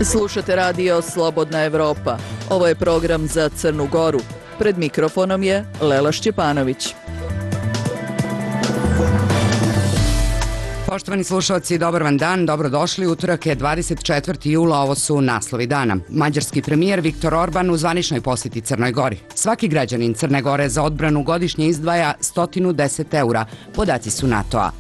Slušate radio Slobodna Evropa. Ovo je program za Crnu Goru. Pred mikrofonom je Lela Šćepanović. Poštovani slušalci, dobar vam dan, dobrodošli. Utorak je 24. jula, ovo su naslovi dana. Mađarski premijer Viktor Orban u zvaničnoj posjeti Crnoj Gori. Svaki građanin Crne Gore za odbranu godišnje izdvaja 110 eura, podaci su NATO-a.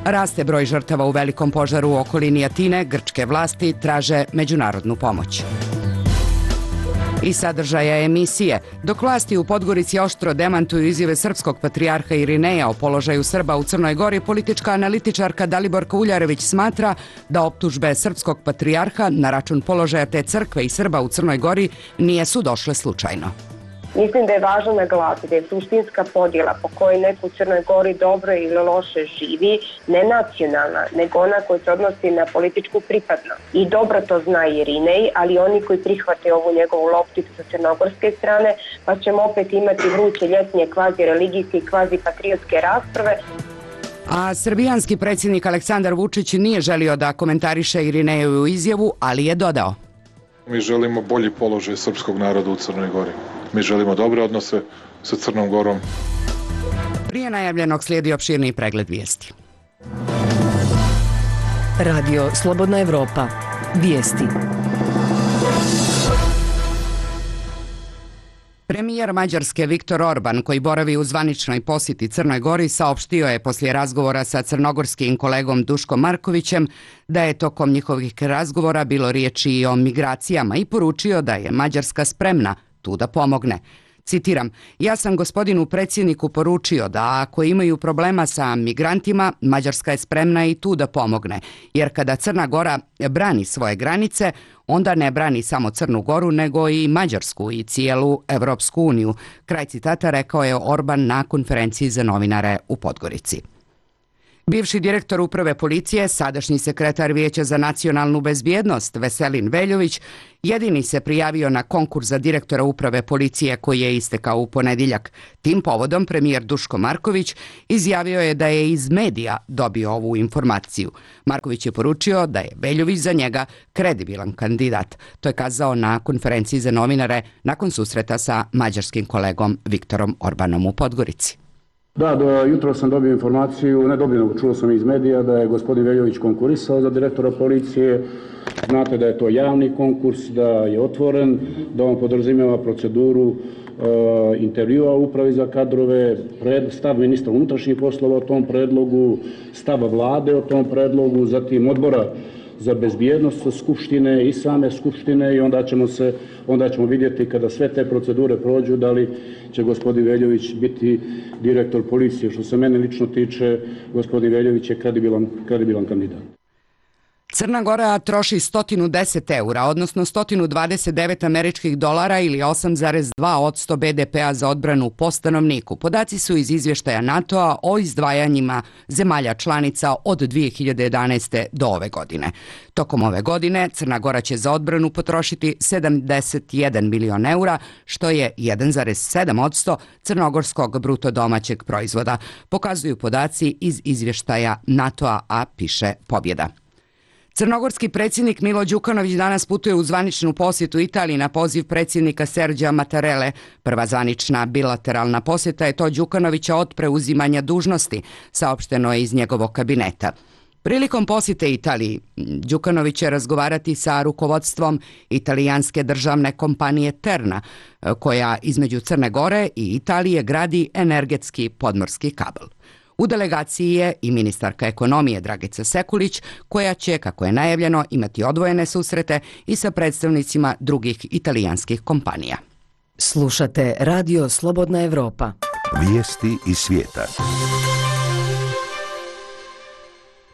Raste broj žrtava u velikom požaru u okolini Atine, grčke vlasti traže međunarodnu pomoć. I sadržaja emisije. Dok vlasti u Podgorici oštro demantuju izjave srpskog patrijarha Irineja o položaju Srba u Crnoj Gori, politička analitičarka Daliborka Uljarević smatra da optužbe srpskog patrijarha na račun položaja te crkve i Srba u Crnoj Gori nisu došle slučajno. Mislim da je važno naglasiti da je suštinska podjela po kojoj neko u Crnoj Gori dobro ili loše živi ne nacionalna, nego ona koja se odnosi na političku pripadnost. I dobro to zna Irinej, ali oni koji prihvate ovu njegovu lopticu sa crnogorske strane, pa ćemo opet imati vruće ljetnje kvazi religijske i kvazi patriotske rasprave. A srbijanski predsjednik Aleksandar Vučić nije želio da komentariše Irinejevu izjavu, ali je dodao: Mi želimo bolji položaj srpskog naroda u Crnoj Gori. Mi želimo dobre odnose sa Crnom Gorom. Prije najavljenog slijedi opširniji pregled vijesti. Radio Slobodna Evropa. Vijesti. Premijer Mađarske Viktor Orban, koji boravi u zvaničnoj posjeti Crnoj Gori, saopštio je poslije razgovora sa crnogorskim kolegom Duškom Markovićem da je tokom njihovih razgovora bilo riječi i o migracijama i poručio da je Mađarska spremna tu da pomogne. Citiram: ja sam gospodinu predsjedniku poručio da ako imaju problema sa migrantima, Mađarska je spremna i tu da pomogne, jer kada Crna Gora brani svoje granice, onda ne brani samo Crnu Goru, nego i Mađarsku i cijelu Evropsku uniju. Kraj citata rekao je Orban na konferenciji za novinare u Podgorici. Bivši direktor uprave policije, sadašnji sekretar Vijeća za nacionalnu bezbjednost Veselin Veljović, jedini se prijavio na konkurs za direktora uprave policije koji je istekao u ponedjeljak. Tim povodom premijer Duško Marković izjavio je da je iz medija dobio ovu informaciju. Marković je poručio da je Veljović za njega kredibilan kandidat. To je kazao na konferenciji za novinare nakon susreta sa mađarskim kolegom Viktorom Orbanom u Podgorici. Da, jutro sam dobio informaciju, čuo sam iz medija da je gospodin Veljović konkurisao za direktora policije. Znate da je to javni konkurs, da je otvoren, da on podrazumijeva proceduru intervjua u upravi za kadrove, stav ministra unutrašnjih poslova o tom predlogu, stav vlade o tom predlogu, zatim odbora za bezbjednost Skupštine i same Skupštine i onda ćemo vidjeti kada sve te procedure prođu da li će gospodin Veljović biti direktor policije. Što se mene lično tiče, gospodin Veljović je kredibilan kandidat. Crna Gora troši 110 eura, odnosno 129 američkih dolara ili 8,2% BDP-a za odbranu po stanovniku. Podaci su iz izvještaja NATO-a o izdvajanjima zemalja članica od 2011. do ove godine. Tokom ove godine Crna Gora će za odbranu potrošiti 71 milion eura, što je 1,7% crnogorskog bruto domaćeg proizvoda. Pokazuju podaci iz izvještaja NATO-a, a piše Pobjeda. Crnogorski predsjednik Milo Đukanović danas putuje u zvaničnu posjetu Italiji na poziv predsjednika Serđa Mattarelle. Prva zvanična bilateralna posjeta je to Đukanovića od preuzimanja dužnosti, saopšteno je iz njegovog kabineta. Prilikom posjete Italiji, Đukanović će razgovarati sa rukovodstvom italijanske državne kompanije Terna, koja između Crne Gore i Italije gradi energetski podmorski kabel. U delegaciji je i ministarka ekonomije Dragica Sekulić, koja će, kako je najavljeno, imati odvojene susrete i sa predstavnicima drugih italijanskih kompanija. Slušate Radio Slobodna Evropa. Vijesti iz svijeta.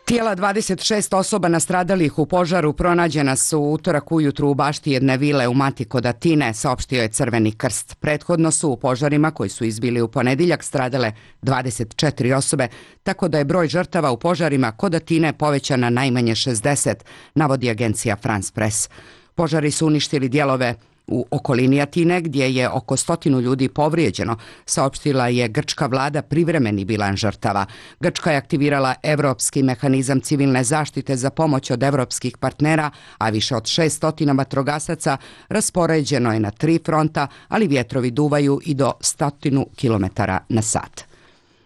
Tijela 26 osoba nastradalih u požaru pronađena su utorak ujutru u bašti jedne vile u Mati kod Atine, saopštio je Crveni krst. Prethodno su u požarima koji su izbili u ponedjeljak stradale 24 osobe, tako da je broj žrtava u požarima kod Atine povećan na najmanje 60, navodi agencija France Press. Požari su uništili dijelove U okolini Atine, gdje je oko 100 ljudi povrijeđeno, saopštila je grčka vlada privremeni bilans žrtava. Grčka je aktivirala Evropski mehanizam civilne zaštite za pomoć od evropskih partnera, a više od 600 vatrogasaca raspoređeno je na 3 fronta, ali vjetrovi duvaju i do 100 km na sat.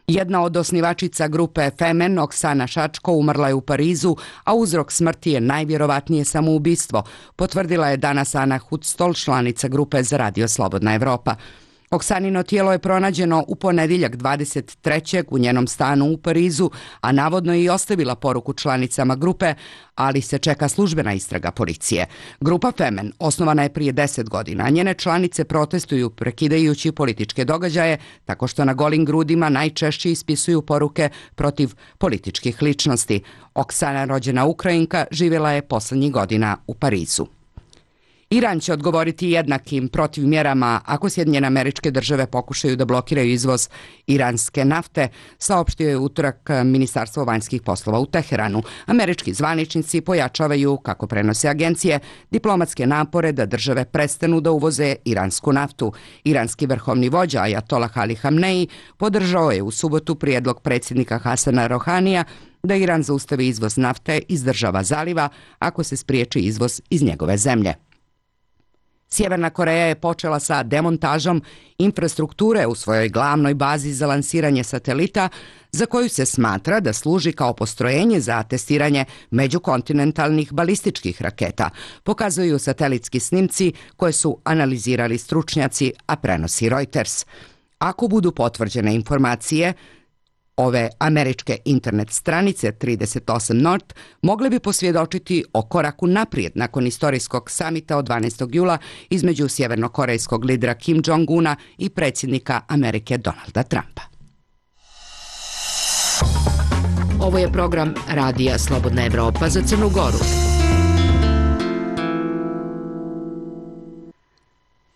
Jedna od osnivačica grupe Femen, Oksana Šačko, umrla je u Parizu, a uzrok smrti je najvjerovatnije samoubistvo, potvrdila je danas Ana Hudstol, članica grupe za Radio Slobodna Evropa. Oksanino tijelo je pronađeno u ponedjeljak 23. u njenom stanu u Parizu, a navodno je i ostavila poruku članicama grupe, ali se čeka službena istraga policije. Grupa Femen osnovana je prije 10 godina, a njene članice protestuju prekidajući političke događaje tako što na golim grudima najčešće ispisuju poruke protiv političkih ličnosti. Oksana, rođena Ukrajinka, živjela je posljednjih godina u Parizu. Iran će odgovoriti jednakim protivmjerama ako Sjedinjene Američke Države pokušaju da blokiraju izvoz iranske nafte, saopštio je utorak Ministarstvo vanjskih poslova u Teheranu. Američki zvaničnici pojačavaju, kako prenose agencije, diplomatske napore da države prestanu da uvoze iransku naftu. Iranski vrhovni vođa Ajatolah Ali Hamneji podržao je u subotu prijedlog predsjednika Hasana Rohanija da Iran zaustavi izvoz nafte iz država zaliva ako se spriječi izvoz iz njegove zemlje. Sjeverna Koreja je počela sa demontažom infrastrukture u svojoj glavnoj bazi za lansiranje satelita, za koju se smatra da služi kao postrojenje za testiranje međukontinentalnih balističkih raketa, pokazuju satelitski snimci koje su analizirali stručnjaci, a prenosi Reuters. Ako budu potvrđene informacije, ove američke internet stranice 38 North mogle bi posvjedočiti o koraku naprijed nakon istorijskog samita od 12. jula između sjevernokorejskog lidera Kim Jong-una i predsjednika Amerike Donalda Trumpa. Ovo je program Radija Slobodna Evropa za Crnu Goru.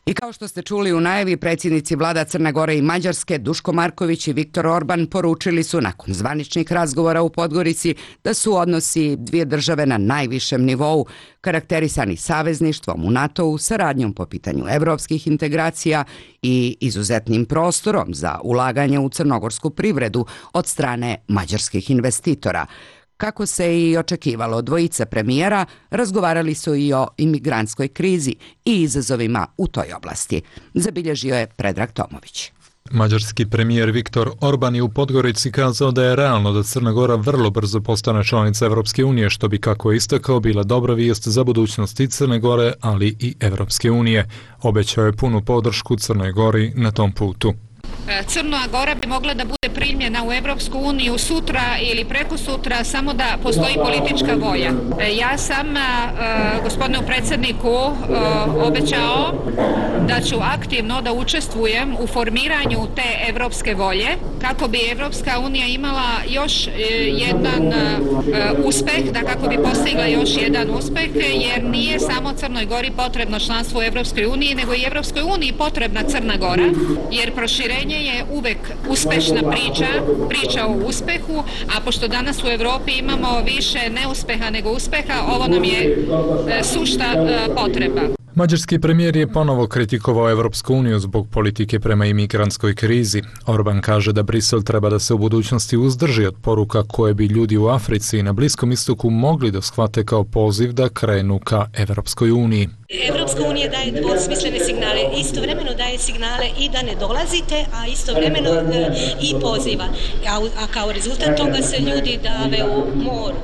I kao što ste čuli u najavi, predsjednici vlada Crne Gore i Mađarske, Duško Marković i Viktor Orban, poručili su nakon zvaničnih razgovora u Podgorici da su odnosi dvije države na najvišem nivou, karakterisani savezništvom u NATO-u, saradnjom po pitanju evropskih integracija i izuzetnim prostorom za ulaganje u crnogorsku privredu od strane mađarskih investitora. Kako se i očekivalo, dvojica premijera razgovarali su i o imigrantskoj krizi i izazovima u toj oblasti. Zabilježio je Predrag Tomović. Mađarski premijer Viktor Orban je u Podgorici kazao da je realno da Crna Gora vrlo brzo postane članica Evropske unije, što bi, kako je istakao, bila dobra vijest za budućnost i Crne Gore, ali i Evropske unije. Obećao je punu podršku Crnoj Gori na tom putu. Crna Gora bi mogla da bude primljena u Evropsku uniju sutra ili preko sutra, samo da postoji politička volja. Ja sam gospodinu predsjedniku obećao da ću aktivno da učestvujem u formiranju te evropske volje kako bi Evropska unija imala još jedan uspeh, da kako bi postigla još jedan uspeh, jer nije samo Crnoj Gori potrebno članstvo u Evropskoj uniji, nego i Evropskoj uniji potrebna Crna Gora, jer proširenje je uvek uspešna priča o uspehu, a pošto danas u Evropi imamo više neuspeha nego uspeha, ovo nam je sušta potreba. Mađarski premijer je ponovo kritikovao Evropsku uniju zbog politike prema imigrantskoj krizi. Orban kaže da Brisel treba da se u budućnosti uzdrži od poruka koje bi ljudi u Africi i na Bliskom istoku mogli da shvate kao poziv da krenu ka Evropskoj uniji. Evropska unija daje dvosmislene signale, istovremeno daje signale i da ne dolazite, a istovremeno i poziva. A kao rezultat toga se ljudi dave u moru,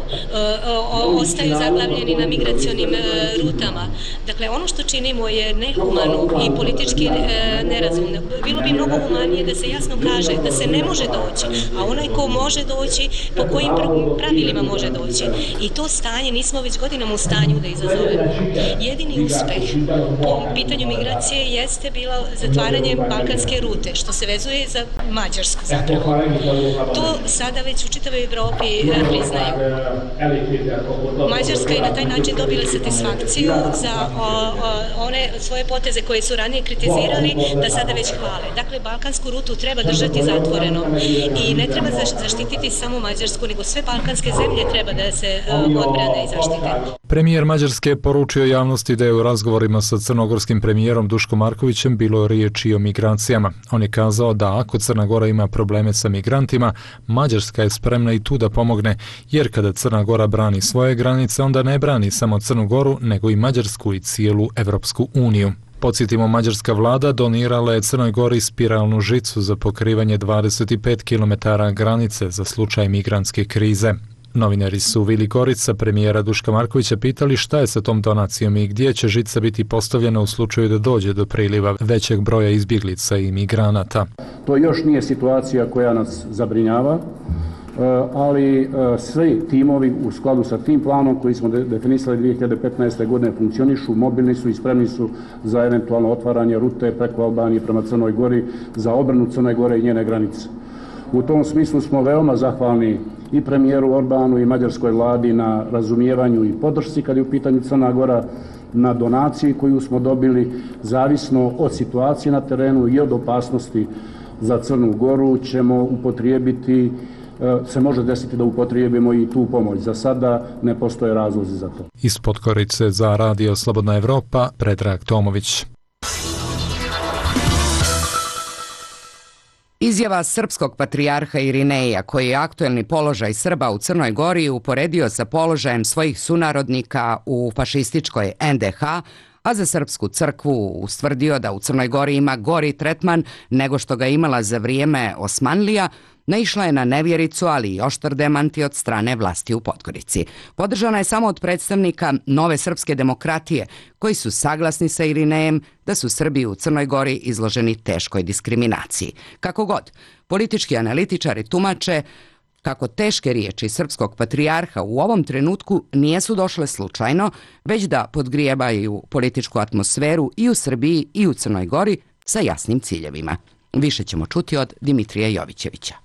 ostaju zaglavljeni na migracionim rutama. Dakle, ono što činimo je nehumano i politički nerazumno. Bilo bi mnogo humanije da se jasno kaže da se ne može doći, a onaj ko može doći, po kojim pravilima može doći. I to stanje nismo već godinama u stanju da izazovemo. Jedini uspeh po pitanju migracije jeste bilo zatvaranje balkanske rute, što se vezuje za Mađarsku zapravo. To sada već u čitavoj Evropi priznaju. Mađarska je na taj način dobila satisfakciju za one svoje poteze koje su ranije kritizirali, da sada već hvale. Dakle, balkansku rutu treba držati zatvorenom i ne treba zaštititi samo Mađarsku, nego sve balkanske zemlje treba da se odbrane i zaštite. Premijer Mađarske je poručio javnosti da je u razgovorima sa crnogorskim premijerom Duškom Markovićem bilo riječi o migracijama. On je kazao da ako Crna Gora ima probleme sa migrantima, Mađarska je spremna i tu da pomogne, jer kada Crna Gora brani svoje granice, onda ne brani samo Crnu Goru, nego i Mađarsku i cijelu Evropsku uniju. Podsjetimo, mađarska vlada donirala je Crnoj Gori spiralnu žicu za pokrivanje 25 km granice za slučaj migrantske krize. Novinari su u Vili Gorica premijera Duška Markovića pitali šta je sa tom donacijom i gdje će žica biti postavljena u slučaju da dođe do priliva većeg broja izbjeglica i migranata. To još nije situacija koja nas zabrinjava, ali svi timovi u skladu sa tim planom koji smo definisali 2015. godine funkcionišu, mobilni su i spremni su za eventualno otvaranje rute preko Albanije prema Crnoj Gori za obranu Crne Gore i njene granice. U tom smislu smo veoma zahvalni i premijeru Orbanu i mađarskoj vladi na razumijevanju i podršci kad je u pitanju Crna Gora, na donaciji koju smo dobili, zavisno od situacije na terenu i od opasnosti za Crnu Goru ćemo upotrijebiti, se može desiti da upotrijebimo i tu pomoć. Za sada ne postoje razlozi za to. Iz Podgorice za Radio Slobodna Evropa, Predrag Tomović. Izjava srpskog patrijarha Irineja, koji je aktuelni položaj Srba u Crnoj Gori uporedio sa položajem svojih sunarodnika u fašističkoj NDH, a za Srpsku crkvu ustvrdio da u Crnoj Gori ima gori tretman nego što ga imala za vrijeme Osmanlija, naišla je na nevjericu, ali i oštar demanti od strane vlasti u Podgorici. Podržana je samo od predstavnika Nove srpske demokratije, koji su saglasni sa Irinejem da su Srbi u Crnoj Gori izloženi teškoj diskriminaciji. Kako god, politički analitičari tumače kako teške riječi srpskog patrijarha u ovom trenutku nijesu došle slučajno, već da podgrijavaju političku atmosferu i u Srbiji i u Crnoj Gori sa jasnim ciljevima. Više ćemo čuti od Dimitrija Jovićevića.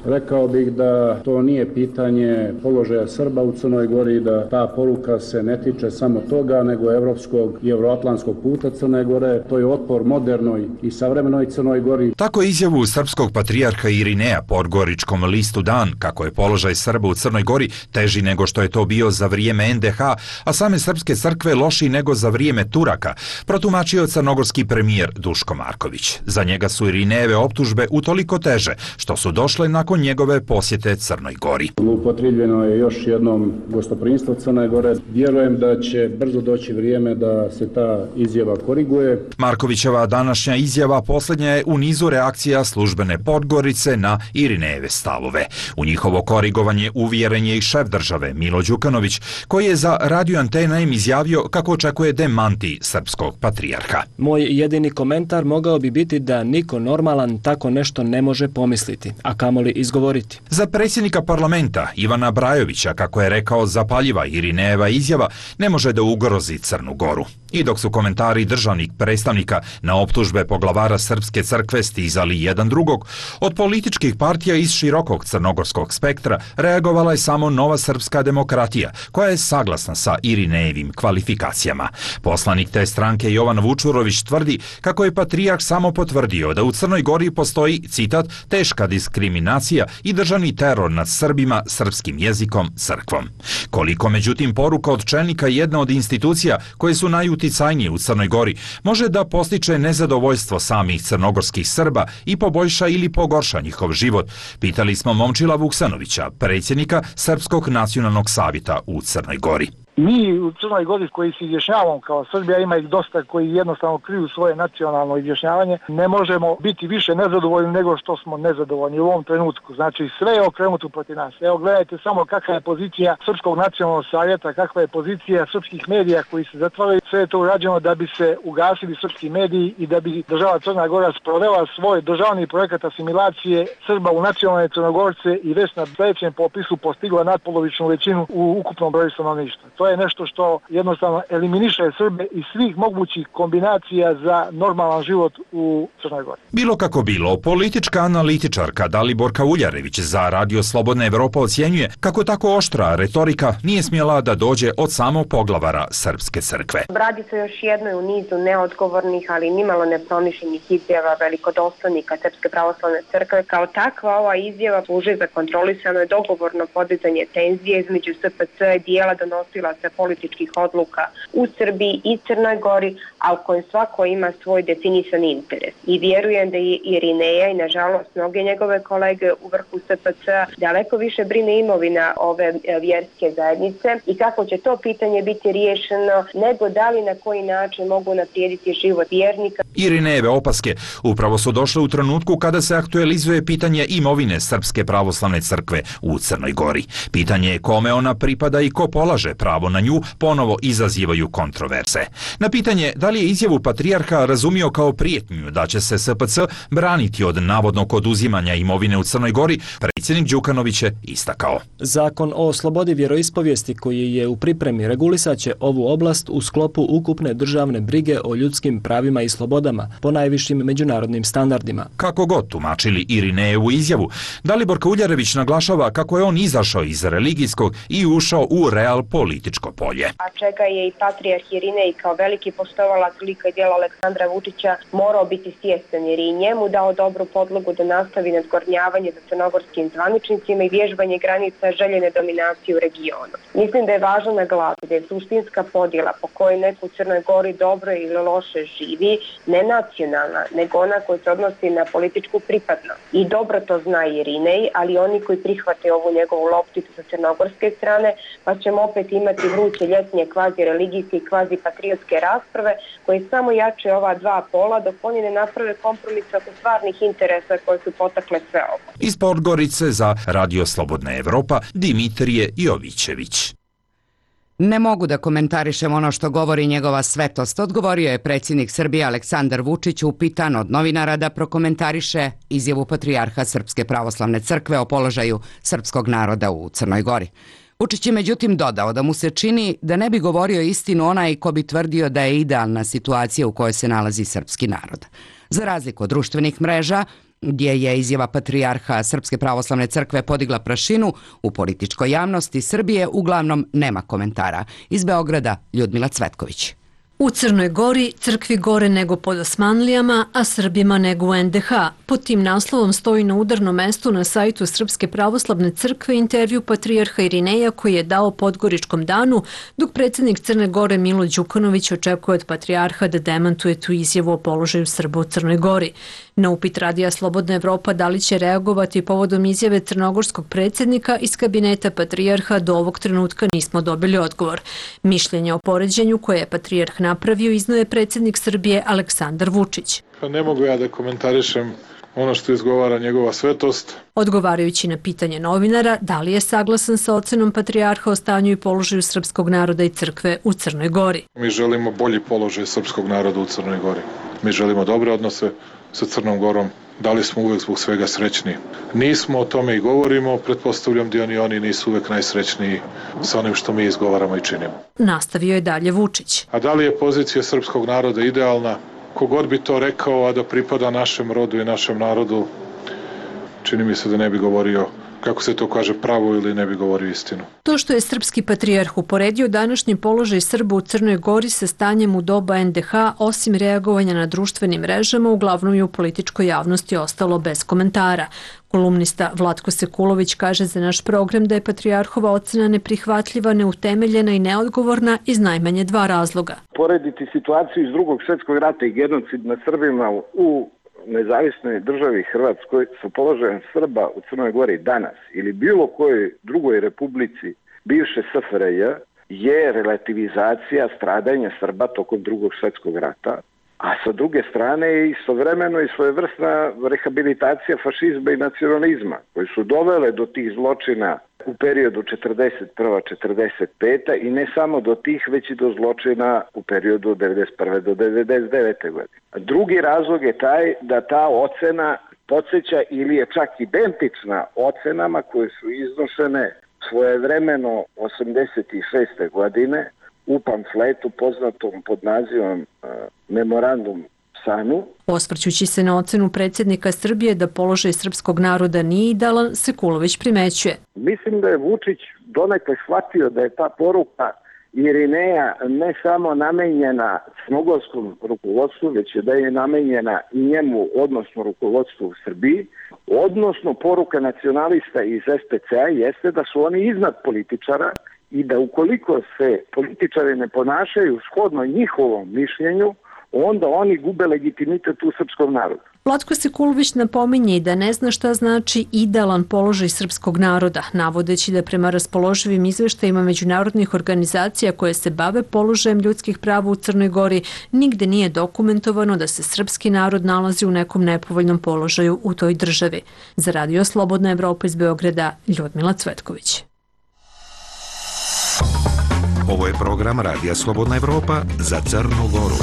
Rekao bih da to nije pitanje položaja Srba u Crnoj Gori, da ta poruka se ne tiče samo toga, nego evropskog i evroatlantskog puta Crne Gore. To je otpor modernoj i savremenoj Crnoj Gori. Tako je izjavu srpskog patrijarha Irineja podgoričkom listu Dan, kako je položaj Srba u Crnoj Gori teži nego što je to bio za vrijeme NDH, a same srpske crkve lošiji nego za vrijeme Turaka, protumačio crnogorski premijer Duško Marković. Za njega su Irinejeve optužbe utoliko teže što su došle nakon njegove posjete Crnoj Gori. Upotrijebljeno je još jednom gostoprimstvo Crne Gore. Vjerujem da će brzo doći vrijeme da se ta izjava koriguje. Markovićeva današnja izjava posljednja je u nizu reakcija službene Podgorice na Irinejeve stavove. U njihovo korigovanje uvjeren je i šef države Milo Đukanović, koji je za Radio Antena izjavio kako očekuje demanti srpskog patrijarha. Moj jedini komentar mogao bi biti da niko normalan tako nešto ne može pomisliti, a kamoli izgovoriti. Za predsjednika parlamenta Ivana Brajovića, kako je rekao, zapaljiva Irinejeva izjava ne može da ugrozi Crnu Goru. I dok su komentari državnih predstavnika na optužbe poglavara Srpske crkve stizali jedan drugog, od političkih partija iz širokog crnogorskog spektra reagovala je samo Nova srpska demokratija, koja je saglasna sa Irinejevim kvalifikacijama. Poslanik te stranke Jovan Vučurović tvrdi kako je patrijarh samo potvrdio da u Crnoj Gori postoji, citat, teška diskriminacija i državni teror nad Srbima, srpskim jezikom, crkvom. Koliko, međutim, poruka od čelnika jedne od institucija koje su najuticajnije u Crnoj Gori može da postiče nezadovoljstvo samih crnogorskih Srba i poboljša ili pogorša njihov život, pitali smo Momčila Vuksanovića, predsjednika Srpskog nacionalnog savjeta u Crnoj Gori. Mi u Crnoj Gori koji se izjašnjavamo kao Srbija, ima ih dosta koji jednostavno kriju svoje nacionalno izjašnjavanje, ne možemo biti više nezadovoljni nego što smo nezadovoljni u ovom trenutku. Znači sve je okrenuto protiv nas. Evo gledajte samo kakva je pozicija Srpskog nacionalnog savjeta, kakva je pozicija srpskih medija koji se zatvaraju. Sve je to urađeno da bi se ugasili srpski mediji i da bi država Crna Gora sprovela svoj državni projekat asimilacije Srba u nacionalne Crnogorce i već na sljedećem popisu postigla nadpolovičnu većinu u ukupnom broju stanovništva. To je nešto što jednostavno eliminiše Srbe iz svih mogućih kombinacija za normalan život u Crnoj Gori. Bilo kako bilo, politička analitičarka Daliborka Uljarević za Radio Slobodna Evropa ocjenjuje kako tako oštra retorika nije smjela da dođe od samog poglavara Srpske crkve. Radi se još jednoj u nizu neodgovornih, ali nimalo nepromišljenih izjava velikodostojnika Srpske pravoslavne crkve. Kao takva ova izjava služi za kontrolisano i dogovorno podizanje tenzije između SPC i dijela donosilaca političkih odluka u Srbiji i Crnoj Gori, a u kojem svako ima svoj definisan interes. I vjerujem da je Irineja i nažalost mnoge njegove kolege u vrhu SPC daleko više brine imovina ove vjerske zajednice i kako će to pitanje biti riješeno, nego da li na koji način mogu unaprijediti život vjernika. Irinejeve opaske upravo su došle u trenutku kada se aktualizuje pitanje imovine Srpske pravoslavne crkve u Crnoj Gori. Pitanje kome ona pripada i ko polaže pravo na nju ponovo izazivaju kontroverze. Na pitanje da li je izjavu patrijarha razumio kao prijetnju da će se SPC braniti od navodnog oduzimanja imovine u Crnoj Gori, predsjednik Đukanović je istakao. Zakon o slobodi vjeroispovijesti koji je u pripremi regulisaće ovu oblast u sklopu ukupne državne brige o ljudskim pravima i slobodama po najvišim međunarodnim standardima. Kako god tumačili Irinejevu izjavu, Dalibor Kauljarević naglašava kako je on izašao iz religijskog i ušao u real političko polje. A čega je i patrijarh Irinej kao veliki poštovalac lika i djela Aleksandra Vučića morao biti svjestan jer je i njemu dao dobru podlogu da nastavi nadgornjavanje za crnogorskim zvaničnicima i vježbanje granica željene dominacije u regionu. Mislim da je važno naglasiti da je suštinska podjela po kojoj neko u Crnoj Gori dobro ili loše živi ne nacionalna, nego ona koja se odnosi na političku pripadnost. I dobro to zna Irinej, ali oni koji prihvate ovu njegovu lopticu sa crnogorske strane, pa ćemo opet imati vruće ljetnje kvazi religijske i kvazi patriotske rasprave koje samo jače ova dva pola dok oni ne naprave kompromis oko stvarnih interesa koje su potakle sve ovo. Iz Podgorice za Radio Slobodna Evropa Dimitrije Jovićević. Ne mogu da komentarišem ono što govori njegova svetost, odgovorio je predsjednik Srbije Aleksandar Vučić upitan od novinara da prokomentariše izjavu patrijarha Srpske pravoslavne crkve o položaju srpskog naroda u Crnoj Gori. Vučić je međutim dodao da mu se čini da ne bi govorio istinu onaj ko bi tvrdio da je idealna situacija u kojoj se nalazi srpski narod. Za razliku od društvenih mreža, gdje je izjava patrijarha Srpske pravoslavne crkve podigla prašinu, u političkoj javnosti Srbije uglavnom nema komentara. Iz Beograda Ljudmila Cvetković. U Crnoj Gori crkvi gore nego pod Osmanlijama, a Srbima nego u NDH. Pod tim naslovom stoji na udarnom mestu na sajtu Srpske pravoslavne crkve intervju patrijarha Irineja koji je dao Podgoričkom danu, dok predsjednik Crne Gore Milo Đukanović očekuje od patrijarha da demantuje tu izjavu o položaju Srba u Crnoj Gori. Na upit Radija Slobodna Evropa da li će reagovati povodom izjave crnogorskog predsjednika iz kabineta patrijarha do ovog trenutka nismo dobili odgovor. Mišljenje o poređenju koje je patrijarh napravio iznio je predsjednik Srbije Aleksandar Vučić. Ne mogu ja da komentarišem ono što izgovara njegova svetost. Odgovarajući na pitanje novinara da li je saglasan sa ocenom patrijarha o stanju i položaju srpskog naroda i crkve u Crnoj Gori. Mi želimo bolji položaj srpskog naroda u Crnoj Gori. Mi želimo dobre odnose sa Crnom Gorom. Da li smo uvek zbog svega srećni? Nismo, o tome i govorimo, pretpostavljam da oni nisu uvek najsrećniji sa onim što mi izgovaramo i činimo. Nastavio je dalje Vučić. A da li je pozicija srpskog naroda idealna? Kogod bi to rekao, a da pripada našem rodu i našem narodu, čini mi se da ne bi govorio, kako se to kaže, pravo ili ne bi govorio istinu. To što je srpski patrijarh uporedio današnji položaj Srba u Crnoj Gori sa stanjem u doba NDH, osim reagovanja na društvenim mrežama, uglavnom je u političkoj javnosti ostalo bez komentara. Kolumnista Vlatko Sekulović kaže za naš program da je patrijarhova ocena neprihvatljiva, neutemeljena i neodgovorna iz najmanje dva razloga. Porediti situaciju iz Drugog svjetskog rata i genocid nad Srbima u nezavisnoj državi Hrvatskoj sa položajem Srba u Crnoj Gori danas ili bilo kojoj drugoj republici bivše SFRJ je relativizacija stradanja Srba tokom Drugog svjetskog rata, a sa druge strane je istovremeno i svojevrsna rehabilitacija fašizma i nacionalizma koji su dovele do tih zločina u periodu 1941-1945 i ne samo do tih, već i do zločina u periodu od 1991. do 1999. godine. Drugi razlog je taj da ta ocena podsjeća ili je čak identična ocenama koje su iznošene svojevremeno 86. godine u pamfletu poznatom pod nazivom Memorandum Sanu. Osvrćući se na ocenu predsjednika Srbije da položaj srpskog naroda nije idealan, Sekulović primećuje. Mislim da je Vučić donekle shvatio da je ta poruka Irineja ne samo namenjena crnogorskom rukovodstvu, već je da je namenjena i njemu, odnosno rukovodstvu u Srbiji, odnosno poruka nacionalista iz SPC-a jeste da su oni iznad političara i da ukoliko se političari ne ponašaju shodno njihovom mišljenju, onda oni gube legitimitet u srpskom narodu. Vlatko Sekulović napominje da ne zna šta znači idealan položaj srpskog naroda, navodeći da prema raspoloživim izveštajima međunarodnih organizacija koje se bave položajem ljudskih prava u Crnoj Gori, nigde nije dokumentovano da se srpski narod nalazi u nekom nepovoljnom položaju u toj državi. Za Radio Slobodna Evropa iz Beograda, Ljudmila Cvetković. Ovo je program Radija Slobodna Evropa za Crnu Goru.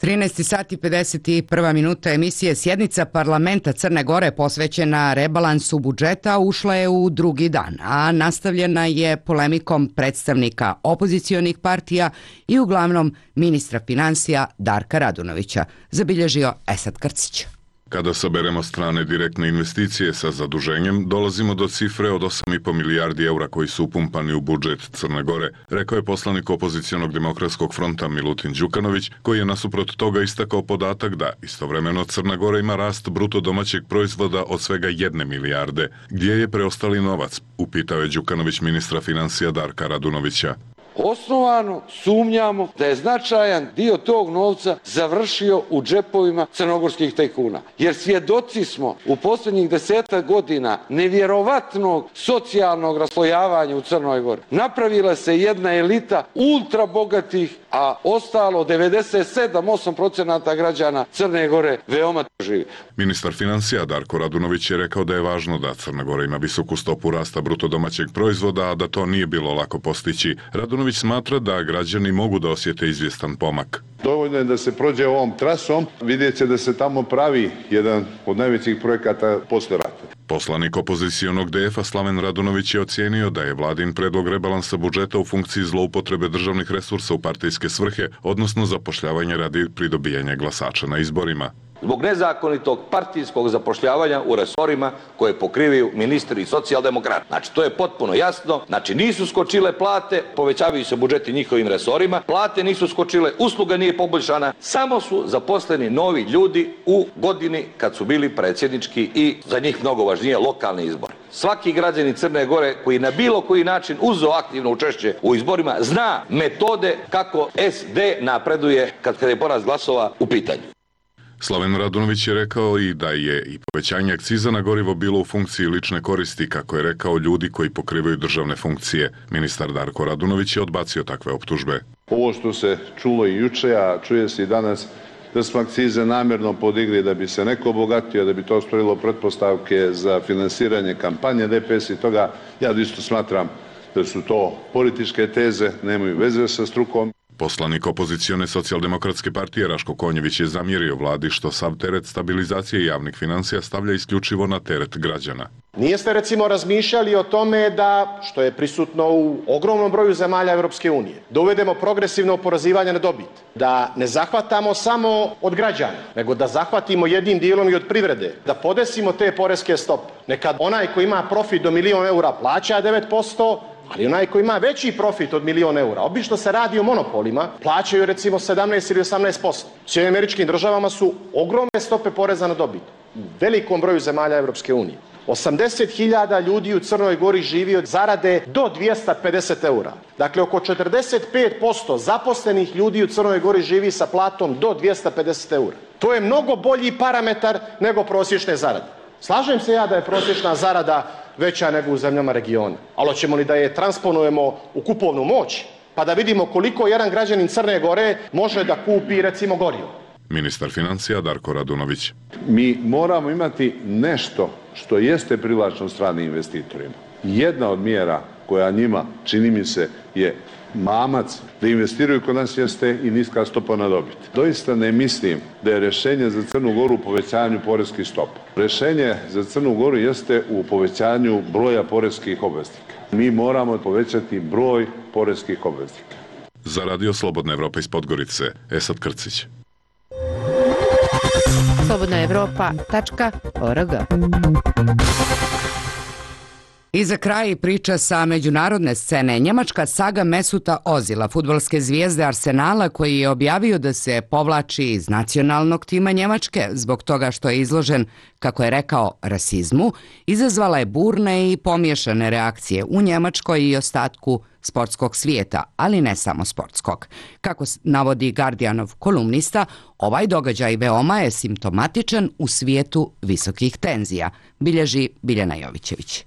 13 sati 51 minuta emisije. Sjednica parlamenta Crne Gore posvećena rebalansu budžeta ušla je u drugi dan, a nastavljena je polemikom predstavnika opozicionih partija i uglavnom ministra finansija Darka Radunovića, zabilježio Esad Krcić. Kada saberemo strane direktne investicije sa zaduženjem, dolazimo do cifre od 8,5 milijardi eura koji su upumpani u budžet Crne Gore, rekao je poslanik opozicionog demokratskog fronta Milutin Đukanović, koji je nasuprot toga istakao podatak da istovremeno Crna Gora ima rast bruto domaćeg proizvoda od svega 1 milijarde. Gdje je preostali novac? Upitao je Đukanović ministra financija Darka Radunovića. Osnovano sumnjamo da je značajan dio tog novca završio u džepovima crnogorskih tajkuna. Jer svjedoci smo u posljednjih 10 godina nevjerovatnog socijalnog raslojavanja u Crnoj Gori. Napravila se jedna elita ultra bogatih, a ostalo 97-8% građana Crne Gore veoma živi. Ministar financija Darko Radunović je rekao da je važno da Crna Gora ima visoku stopu rasta bruto domaćeg proizvoda, a da to nije bilo lako postići. Radunović smatra da građani mogu da osjete izvjestan pomak. Dovoljno je da se prođe ovom trasom, vidjet će da se tamo pravi jedan od najvećih projekata posle rata. Poslanik opozicionog DF-a Slaven Radunović je ocijenio da je vladin predlog rebalansa budžeta u funkciji zloupotrebe državnih resursa u partijske svrhe, odnosno zapošljavanja radi pridobijanja glasača na izborima. Zbog nezakonitog partijskog zapošljavanja u resorima koje pokrivaju ministri i socijaldemokrati. Znači, to je potpuno jasno. Znači, nisu skočile plate, povećavaju se budžeti njihovim resorima, plate nisu skočile, usluga nije poboljšana, samo su zaposleni novi ljudi u godini kad su bili predsjednički i za njih mnogo važnije lokalni izbori. Svaki građanin Crne Gore koji na bilo koji način uzeo aktivno učešće u izborima zna metode kako SD napreduje kad je porast glasova u pitanju. Slaven Radunović je rekao i da je i povećanje akciza na gorivo bilo u funkciji lične koristi, kako je rekao, ljudi koji pokrivaju državne funkcije. Ministar Darko Radunović je odbacio takve optužbe. Ovo što se čulo i juče, a čuje se i danas, da smo akcize namjerno podigli da bi se neko obogatio, da bi to stvorilo pretpostavke za finansiranje kampanje DPS i toga, ja isto smatram da su to političke teze, nemaju veze sa strukom. Poslanik opozicione socijaldemokratske partije Raško Konjević je zamjerio vladi što sav teret stabilizacije javnih financija stavlja isključivo na teret građana. Nijeste recimo razmišljali o tome da, što je prisutno u ogromnom broju zemalja Europske unije, da uvedemo progresivno oporezivanje na dobit, da ne zahvatamo samo od građana, nego da zahvatimo jednim dijelom i od privrede, da podesimo te poreske stope. Nekad onaj koji ima profit do 1.000.000 eura plaća 9%, ali onaj koji ima veći profit od 1.000.000 eura, obično se radi o monopolima, plaćaju recimo 17 ili 18%. U Sjedinjenim Američkim Državama su ogromne stope poreza na dobit u velikom broju zemalja Europske unije. 80.000 ljudi u Crnoj Gori živi od zarade do 250 eura. Dakle, oko 45% zaposlenih ljudi u Crnoj Gori živi sa platom do 250 eura. To je mnogo bolji parametar nego prosječne zarade. Slažem se ja da je prosječna zarada veća nego u zemljama regiona, ali hoćemo li da je transponujemo u kupovnu moć, pa da vidimo koliko jedan građanin Crne Gore može da kupi recimo gorivo. Ministar financija Darko Radunović. Mi moramo imati nešto što jeste privlačno stranim investitorima. Jedna od mjera koja njima, čini mi se, je mamac da investiraju kod nas jeste i niska stopa na dobit. Doista ne mislim da je rješenje za Crnu Goru u povećanju poreskih stopa. Rješenje za Crnu Goru jeste u povećanju broja poreskih obveznika. Mi moramo povećati broj poreskih obveznika. Za Radio Slobodna Evropa iz Podgorice, Esad Krcić. slobodnaevropa.org I za kraj priča sa međunarodne scene. Njemačka saga Mesuta Ozila, fudbalske zvijezde Arsenala, koji je objavio da se povlači iz nacionalnog tima Njemačke zbog toga što je izložen, kako je rekao, rasizmu, izazvala je burne i pomiješane reakcije u Njemačkoj i ostatku sportskog svijeta, ali ne samo sportskog. Kako navodi Guardianov kolumnista, ovaj događaj veoma je simptomatičan u svijetu visokih tenzija, bilježi Biljana Jovićević.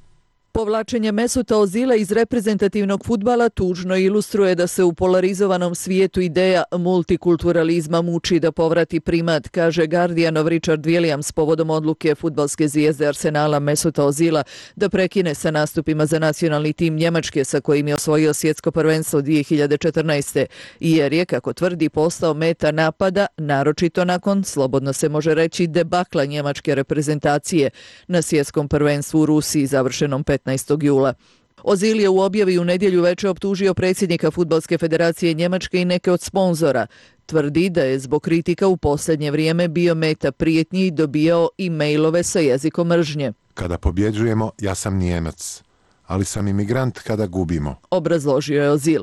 Povlačenje Mesuta Ozila iz reprezentativnog fudbala tužno ilustruje da se u polarizovanom svijetu ideja multikulturalizma muči da povrati primat, kaže Guardianov Richard Williams povodom odluke fudbalske zvijezde Arsenala Mesuta Ozila da prekine sa nastupima za nacionalni tim Njemačke sa kojim je osvojio svjetsko prvenstvo 2014. jer je, kako tvrdi, postao meta napada, naročito nakon, slobodno se može reći, debakla njemačke reprezentacije na svjetskom prvenstvu u Rusiji završenom 15. jula. Ozil je u objavi u nedjelju veče optužio predsjednika Fudbalske federacije Njemačke i neke od sponzora. Tvrdi da je zbog kritika u posljednje vrijeme bio meta prijetnji i dobijao e-mailove sa jezikom mržnje. Kada pobjeđujemo, ja sam Nijemac, ali sam imigrant kada gubimo, obrazložio je Ozil.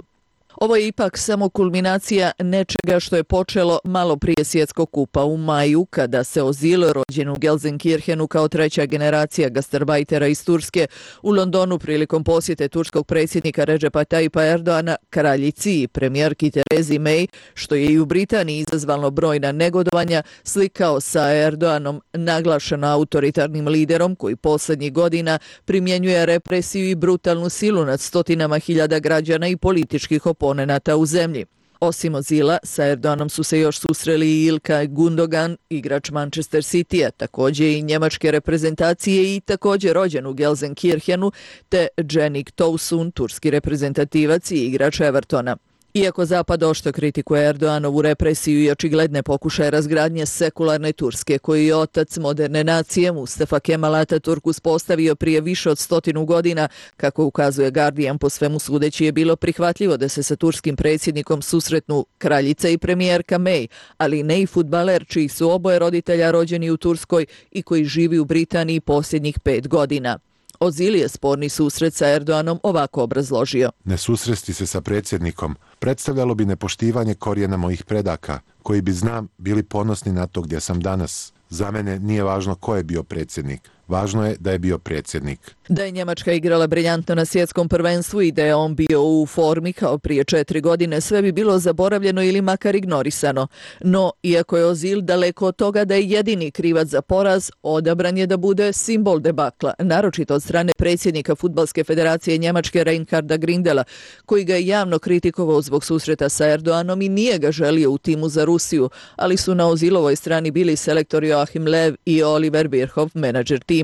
Ovo je ipak samo kulminacija nečega što je počelo malo prije svjetskog kupa u maju, kada se Ozil, rođen u Gelsenkirchenu kao treća generacija gastarbajtera iz Turske, u Londonu prilikom posjete turskog predsjednika Recepa Tayyipa Erdoana, kraljici i premijerki Terezi May, što je i u Britaniji izazvalo brojna negodovanja, slikao sa Erdoanom, naglašeno autoritarnim liderom koji posljednjih godina primjenjuje represiju i brutalnu silu nad stotinama hiljada građana i političkih oponenata u zemlji. Osim Ozila, sa Erdoganom su se još susreli i Ilkay Gundogan, igrač Manchester City-a, također i njemačke reprezentacije i također rođen u Gelsenkirchenu, te Cengiz Tosun, turski reprezentativac i igrač Evertona. Iako Zapad oštro kritikuje Erdoganovu represiju i očigledne pokušaje razgradnje sekularne Turske, koju je otac moderne nacije Mustafa Kemal Atatürk uspostavio prije više od 100 godina, kako ukazuje Guardian, po svemu sudeći je bilo prihvatljivo da se sa turskim predsjednikom susretnu kraljica i premijerka May, ali ne i fudbaler čiji su oboje roditelja rođeni u Turskoj i koji živi u Britaniji posljednjih 5 godina. Ozil je sporni susret sa Erdoganom ovako obrazložio. Ne susresti se sa predsjednikom predstavljalo bi nepoštivanje korijena mojih predaka, koji bi, znam, bili ponosni na to gdje sam danas. Za mene nije važno ko je bio predsjednik. Važno je da je bio predsjednik. Da je Njemačka igrala briljantno na svjetskom prvenstvu i da je on bio u formi kao prije 4 godine, sve bi bilo zaboravljeno ili makar ignorisano. No, iako je Ozil daleko od toga da je jedini krivac za poraz, odabran je da bude simbol debakla, naročito od strane predsjednika Fudbalske federacije Njemačke Reinharda Grindela, koji ga je javno kritikovao zbog susreta sa Erdoganom i nije ga želio u timu za Rusiju, ali su na Ozilovoj strani bili selektor Joachim Löw i Oliver Bierhoff, menadžer tima.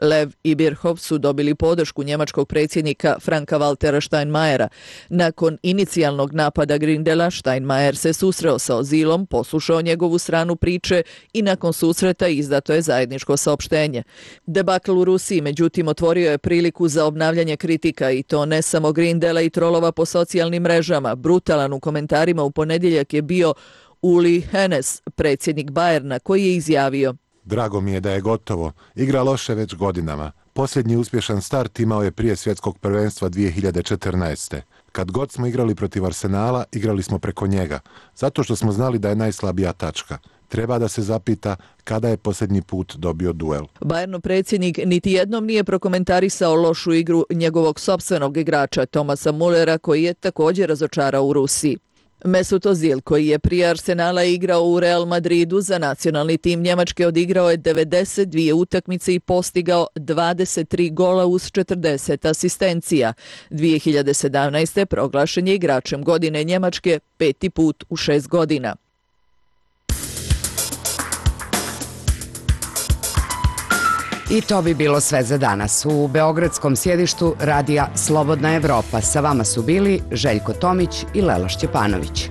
Löw i Bierhoff su dobili podršku njemačkog predsjednika Franka-Waltera Steinmeiera. Nakon inicijalnog napada Grindela, Steinmeier se susreo sa Ozilom, poslušao njegovu stranu priče i nakon susreta izdato je zajedničko saopštenje. Debakl u Rusiji, međutim, otvorio je priliku za obnavljanje kritika i to ne samo Grindela i trolova po socijalnim mrežama. Brutalan u komentarima u ponedjeljak je bio Uli Hoeneß, predsjednik Bayerna, koji je izjavio: Drago mi je da je gotovo. Igra loše već godinama. Posljednji uspješan start imao je prije svjetskog prvenstva 2014. Kad god smo igrali protiv Arsenala, igrali smo preko njega, zato što smo znali da je najslabija tačka. Treba da se zapita kada je posljednji put dobio duel. Bayernov predsjednik niti jednom nije prokomentarisao lošu igru njegovog sopstvenog igrača Thomasa Mullera, koji je također razočarao u Rusiji. Mesut Ozil, koji je prije Arsenala igrao u Real Madridu, za nacionalni tim Njemačke odigrao je 92 utakmice i postigao 23 gola uz 40 asistencija. 2017. proglašen je igračem godine Njemačke 5. put u 6 godina. I to bi bilo sve za danas. U beogradskom sjedištu radija Slobodna Evropa sa vama su bili Željko Tomić i Lela Šćepanović.